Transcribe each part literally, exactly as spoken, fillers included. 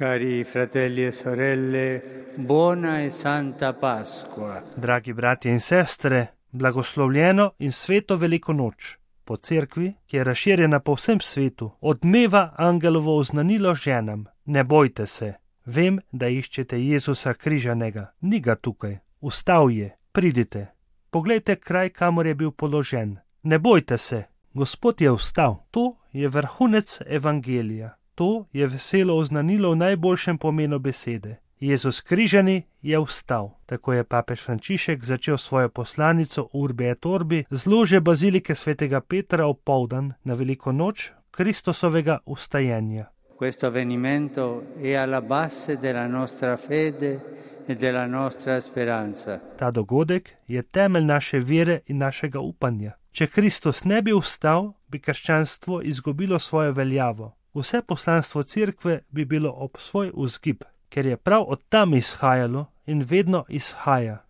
Cari fratelli e sorelle, buona e santa Pasqua. Dragi bratje in sestre, blagoslovljeno in sveto veliko noč. Po cerkvi, ki je razširjena po vsem svetu, odmeva angelovo oznanilo ženam. Ne bojte se, vem, da iščete Jezusa križanega, ni ga tukaj, vstal je, pridite. Poglejte kraj, kamor je bil položen. Ne bojte se, Gospod je vstal. To je vrhunec evangelija. To je veselo oznanilo v najboljšem pomenu besede. Jezus križani je vstal. Tako je papež Frančišek začel svojo poslanico Urbi et Orbi z lože bazilike svetega Petra opoldan na veliko noč Kristusovega vstajenja. Questo avvenimento è alla base della nostra fede e della nostra speranza. Ta dogodek je temelj naše vere in našega upanja. Če Kristus ne bi vstal, bi krščanstvo izgubilo svojo veljavo. Vse poslanstvo cerkve bi bilo ob svoj vzgib, ker je prav od tam izhajalo in vedno izhaja.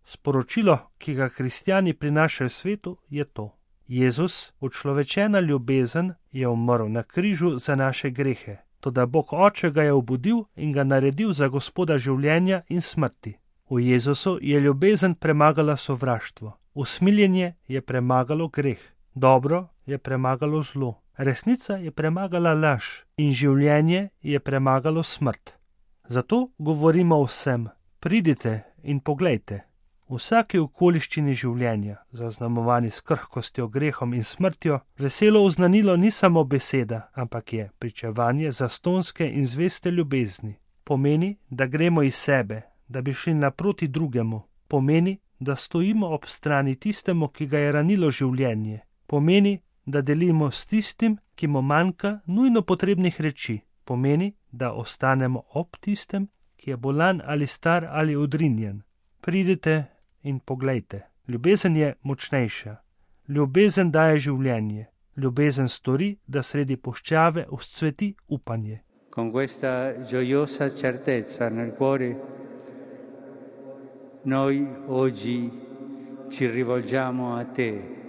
Sporočilo, ki ga kristjani prinašajo svetu, je to. Jezus, učlovečena ljubezen, je umrl na križu za naše grehe, toda Bog Oče ga je obudil in ga naredil za Gospoda življenja in smrti. V Jezusu je ljubezen premagala sovraštvo, usmiljenje je premagalo greh, dobro je premagalo zlo. Resnica je premagala laž in življenje je premagalo smrt. Zato govorimo vsem, pridite in poglejte. V vsaki okoliščini življenja, zaznamovani s krhkostjo, grehom in smrtjo, veselo oznanilo ni samo beseda, ampak je pričevanje zastonske in zveste ljubezni. Pomeni, da gremo iz sebe, da bi šli naproti drugemu. Pomeni, da stojimo ob strani tistemu, ki ga je ranilo življenje. Pomeni, da delimo s tistim, ki mu manjka nujno potrebnih reči. Pomeni, da ostanemo ob tistem, ki je bolan ali star ali odrinjen. Pridite in poglejte. Ljubezen je močnejša. Ljubezen daje življenje. Ljubezen stori, da sredi puščave vzcveti upanje. Con questa gioiosa certezza nel cuore, noi oggi ci rivolgiamo a te,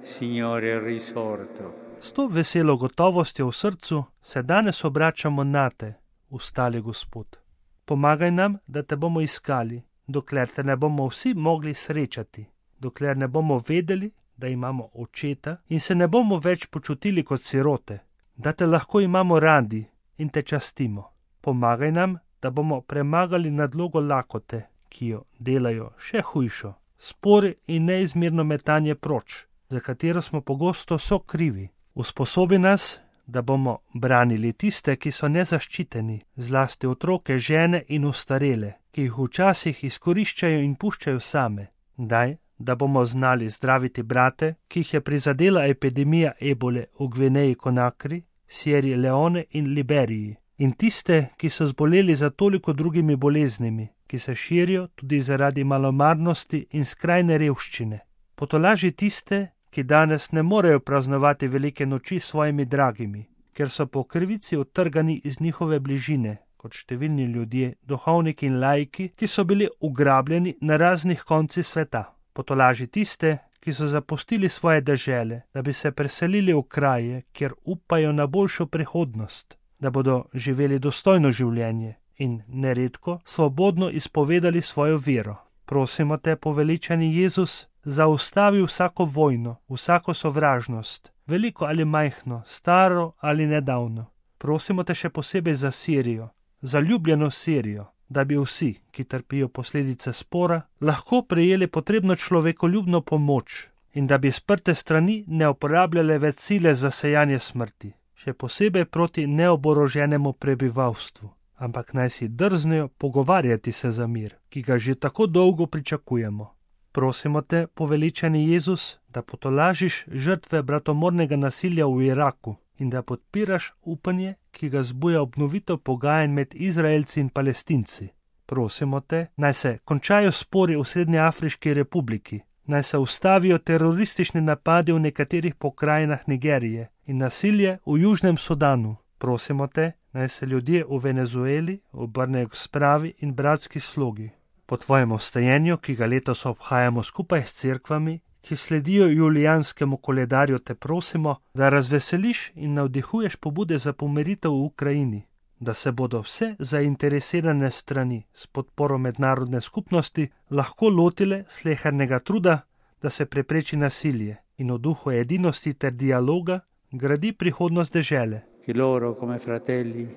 Signore risorto. S to veselo gotovostjo v srcu se danes obračamo na te, vstali Gospod. Pomagaj nam, da te bomo iskali, dokler te ne bomo vsi mogli srečati, dokler ne bomo vedeli, da imamo očeta in se ne bomo več počutili kot sirote, da te lahko imamo radi in te častimo. Pomagaj nam, da bomo premagali nadlogo lakote, ki jo delajo še hujšo, spori in neizmerno metanje proč, za katero smo pogosto sokrivi. Usposobi nas, da bomo branili tiste, ki so nezaščiteni, zlasti otroke, žene in ostarele, ki jih včasih izkoriščajo in puščajo same. Daj, da bomo znali zdraviti brate, ki jih je prizadela epidemija ebole v Gvineji Konakri, Sierri Leone in Liberiji, in tiste, ki so zboleli za toliko drugimi boleznimi, ki se širijo tudi zaradi malomarnosti in skrajne revščine. Potolaži tiste, ki danes ne morejo praznovati velike noči s svojimi dragimi, ker so po krivici odtrgani iz njihove bližine, kot številni ljudje, duhovniki in laiki, ki so bili ugrabljeni na raznih koncih sveta. Potolaži tiste, ki so zapustili svoje dežele, da bi se preselili v kraje, kjer upajo na boljšo prihodnost, da bodo živeli dostojno življenje in neredko svobodno izpovedali svojo vero. Prosimo te, poveličani Jezus, zaustavi vsako vojno, vsako sovražnost, veliko ali majhno, staro ali nedavno. Prosimo te še posebej za Sirijo, za ljubljeno Sirijo, da bi vsi, ki trpijo posledice spora, lahko prejeli potrebno človekoljubno pomoč in da bi sprte strani ne uporabljale več sile za sejanje smrti, še posebej proti neoboroženemu prebivalstvu, ampak naj si drznejo pogovarjati se za mir, ki ga že tako dolgo pričakujemo. Prosimo te, poveličani Jezus, da potolažiš žrtve bratomornega nasilja v Iraku in da podpiraš upanje, ki ga zbuja obnovitev pogajanj med Izraelci in Palestinci. Prosimo te, naj se končajo spori v Srednjeafriški republiki, naj se ustavijo teroristični napadi v nekaterih pokrajinah Nigerije in nasilje v Južnem Sudanu. Prosimo te, naj se ljudje v Venezueli obrnejo k spravi in bratski slogi. Po tvojem vstajenju, ki ga letos obhajamo skupaj s cerkvami, ki sledijo julijanskemu koledarju, te prosimo, da razveseliš in navdihuješ pobude za pomiritev v Ukrajini, da se bodo vse zainteresirane strani s podporo mednarodne skupnosti lahko lotile slehernega truda, da se prepreči nasilje in v duhu edinosti ter dialoga gradi prihodnost dežele. Che loro come fratelli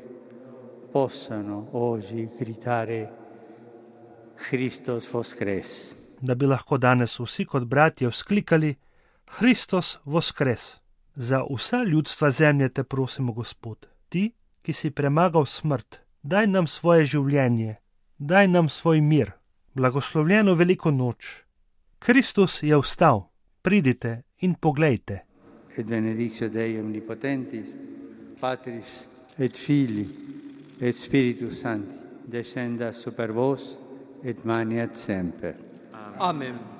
possano oggi gridare Christus voskres. Da bi lahko danes vsi kot bratje vzklikali Hristos voskres. Za vsa ljudstva zemlje te prosimo, Gospod, ti, ki si premagal smrt, daj nam svoje življenje, daj nam svoj mir, blagoslovljeno veliko noč. Kristus je vstal, pridite in poglejte. Et benedictio Dei omnipotentis, Patris et Filii et Spiritus Sancti, descendat super vos et maniat semper. Amen.